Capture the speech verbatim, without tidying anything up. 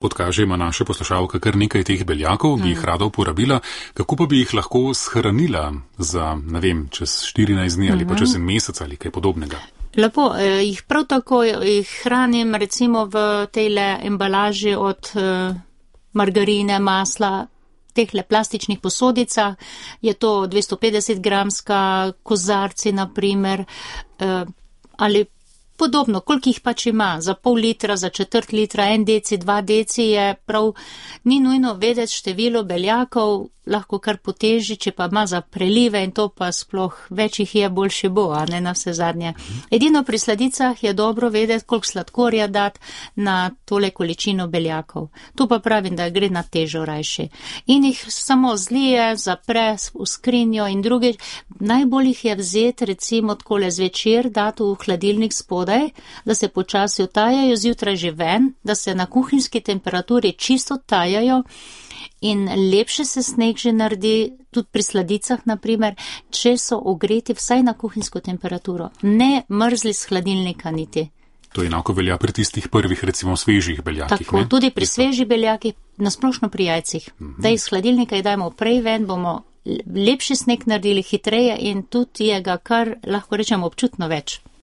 Podkaže ima naša poslušalka kar nekaj teh beljakov, bi jih rada uporabila, kako pa bi jih lahko shranila za, ne vem, čez štirinajst dni ali pa čez en mesec ali kaj podobnega? Lepo, jih prav tako jih hranim recimo v tejle embalaži od margarine, masla, tehle plastičnih posodicah, je to dvesto petdeset gramska kozarci naprimer, ali podobno, koliko jih pač ima, za pol litra, za četrt litra, en deci, dva deci je prav, ni nujno vedeti število beljakov, lahko kar poteži, če pa ima za prelive in to pa sploh več jih je, boljše bo, a ne na vse zadnje. Edino pri sladicah je dobro vedeti, koliko sladkorja dati na tole količino beljakov. Tu pa pravim, da gre na težo rajši. In jih samo zlije, zapre v skrinjo in drugič. Najbolj jih je vzeti recimo takole zvečer, dati v hladilnik spodaj, da se počasi otajajo, zjutraj že ven, da se na kuhinjski temperaturi čisto tajajo. In lepše se sneg že naredi, tudi pri sladicah naprimer, če so ogreti vsaj na kuhinjsko temperaturo. Ne mrzli z hladilnika niti. To enako velja pri tistih prvih, recimo svežih beljakih. Tako, ne? tudi pri svežih beljakih, nasplošno pri jajcih. Uh-huh. Da iz hladilnika jih dajmo prej ven, bomo lepši sneg naredili hitreje in tudi je ga kar, lahko rečemo, občutno več.